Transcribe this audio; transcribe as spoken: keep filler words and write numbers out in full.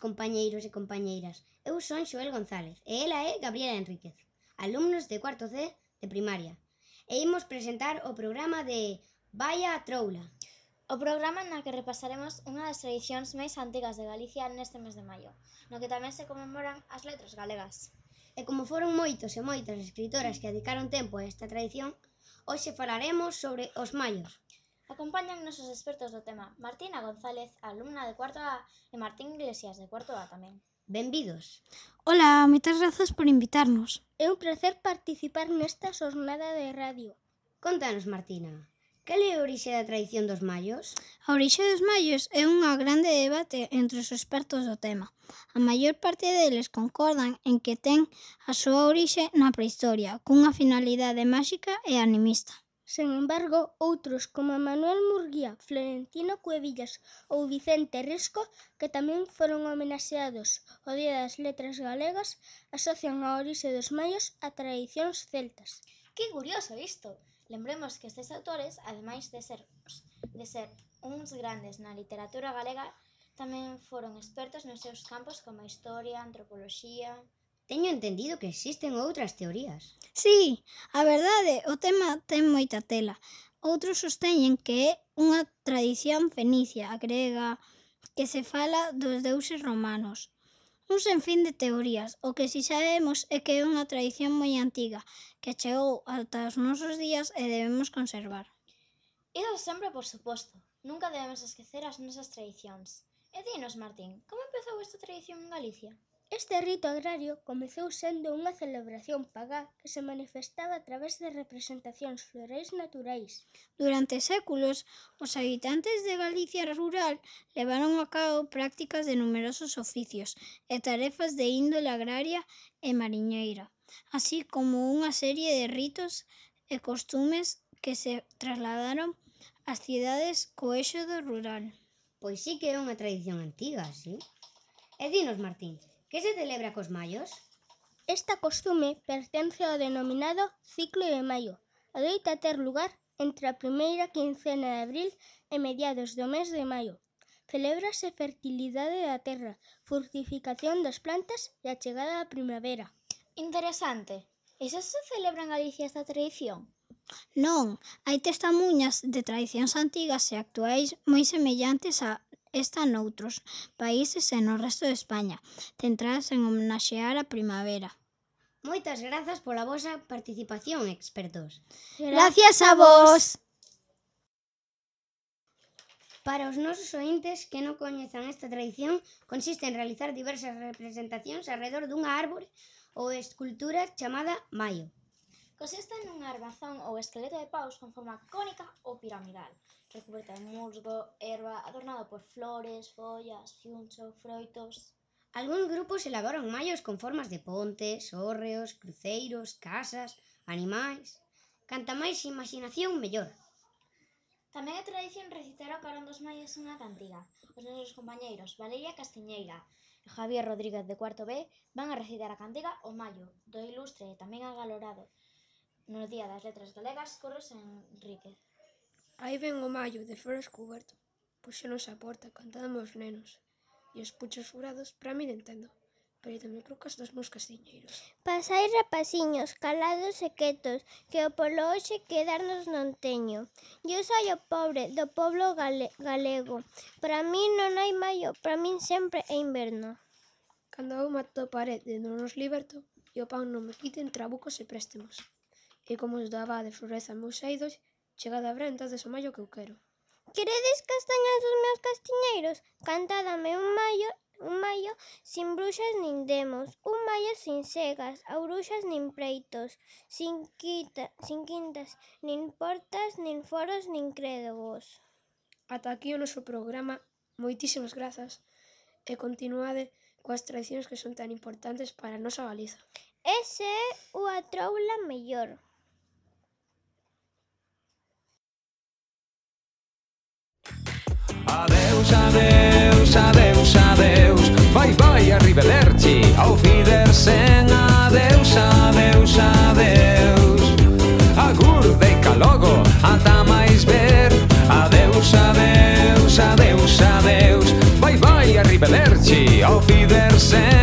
compañeiros e compañeiras. Eu son Xoel González e ela é Gabriela Enríquez, alumnos de cuarto C de primaria. E imos presentar o programa de Vaia a Troula. O programa na que repasaremos unha das tradicións máis antigas de Galicia neste mes de maio, no que tamén se conmemoran as letras galegas. E como foron moitos e moitas escritoras que dedicaron tempo a esta tradición, hoxe falaremos sobre os maios. Acompañan nosos expertos do tema Martina González, alumna de cuarto A, e Martín Iglesias, de cuarto A tamén. Benvidos. Ola, moitas grazas por invitarnos. É un placer participar nesta xornada de radio. Contanos, Martina, cal é a orixe da tradición dos maios? A orixe dos maios é unha grande debate entre os expertos do tema. A maior parte deles concordan en que ten a súa orixe na prehistoria, cunha finalidade máxica e animista. Sen embargo, outros como Manuel Murguía, Florentino Cuevillas ou Vicente Risco, que tamén foron homenaxeados o Día das Letras Galegas, asocian a orixe dos maios a tradicións celtas. Que curioso isto! Lembremos que estes autores, ademais de ser, de ser uns grandes na literatura galega, tamén foron expertos nos seus campos como a historia, a antropoloxía... Teño entendido que existen outras teorías. Sí, a verdade, o tema ten moita tela. Outros sosteñen que é unha tradición fenicia, grega, que se fala dos deuses romanos. Un senfín de teorías, o que si sabemos é que é unha tradición moi antiga, que chegou ata os nosos días e debemos conservar. Iso sempre por suposto, nunca debemos esquecer as nosas tradicións. E dinos, Martín, como empezou esta tradición en Galicia? Este rito agrario comezou sendo unha celebración pagá que se manifestaba a través de representacións florais naturais. Durante séculos, os habitantes de Galicia rural levaron a cabo prácticas de numerosos oficios e tarefas de índole agraria e mariñeira, así como unha serie de ritos e costumes que se trasladaron ás cidades co eixo do rural. Pois sí que é unha tradición antiga, sí? E dinos, Martín, que se celebra cos maios? Esta costume pertence ao denominado ciclo de maio. Adoita ter lugar entre a primeira quincena de abril e mediados do mes de maio. Celébrase fertilidade da terra, fructificación das plantas e a chegada da primavera. Interesante. E xa se celebra en Galicia esta tradición? Non, hai testemuñas de tradicións antigas e actuais moi semellantes a esta noutros países e no resto de España, centradas en homenaxear a primavera. Moitas grazas pola vosa participación, expertos. Gracias a vos! Para os nosos ointes que non coñezan esta tradición, consiste en realizar diversas representacións alrededor dunha árbore ou escultura chamada maio. Consiste nunha arbazón ou esqueleto de paus con forma cónica ou piramidal, recuberta de musgo, erva, adornado por flores, follas, fiuncho, froitos. Algúns grupos elaboran maios con formas de pontes, hórreos, cruceiros, casas, animais... Canta máis imaxinación, mellor. Tamén é tradición recitar o carón dos maios unha cantiga. Os nosos compañeiros Valeria Castiñeira e Javier Rodríguez de cuarto B van a recitar a cantiga O Maio, do ilustre e tamén agalorado no Día das Letras Galegas, Curros Enríquez. Aí ven o maio de flores cuberto, puxénos a porta cantando os nenos, e os puchos furados para mí entendo, pero tamén creo que os dos meus castiñeiros. Pasai rapaciños, calados e quietos, que o polo hoxe quedarnos non teño. Eu soi o pobre do poblo gale galego, para mí non hai maio, para min sempre é inverno. Cando eu mato pared de non nos liberto, e o pan non me quiten trabucos e préstemos. E como os do abade florezan meus eidos, chegada a brenta des o maio que eu quero. Queredes castañas dos meus castiñeiros? Cantádame un maio, un maio sin bruxas nin demos, un maio sin segas, a bruxas nin preitos, sin, quita, sin quintas, nin portas, nin foros, nin crédogos. Ata aquí o noso programa, moitísimas grazas, e continuade coas tradicións que son tan importantes para a nosa Galiza. Ese é o a troula mellor. Adeus, adeus, adeus, adeus. Vai, vai, arriba Lerchi. Auf Wiedersehen. Adeus, adeus, adeus. Agur, deica logo, ata máis ver. Adeus, adeus, adeus, adeus. Vai, vai, arriba Lerchi. Auf Wiedersehen. Fidersen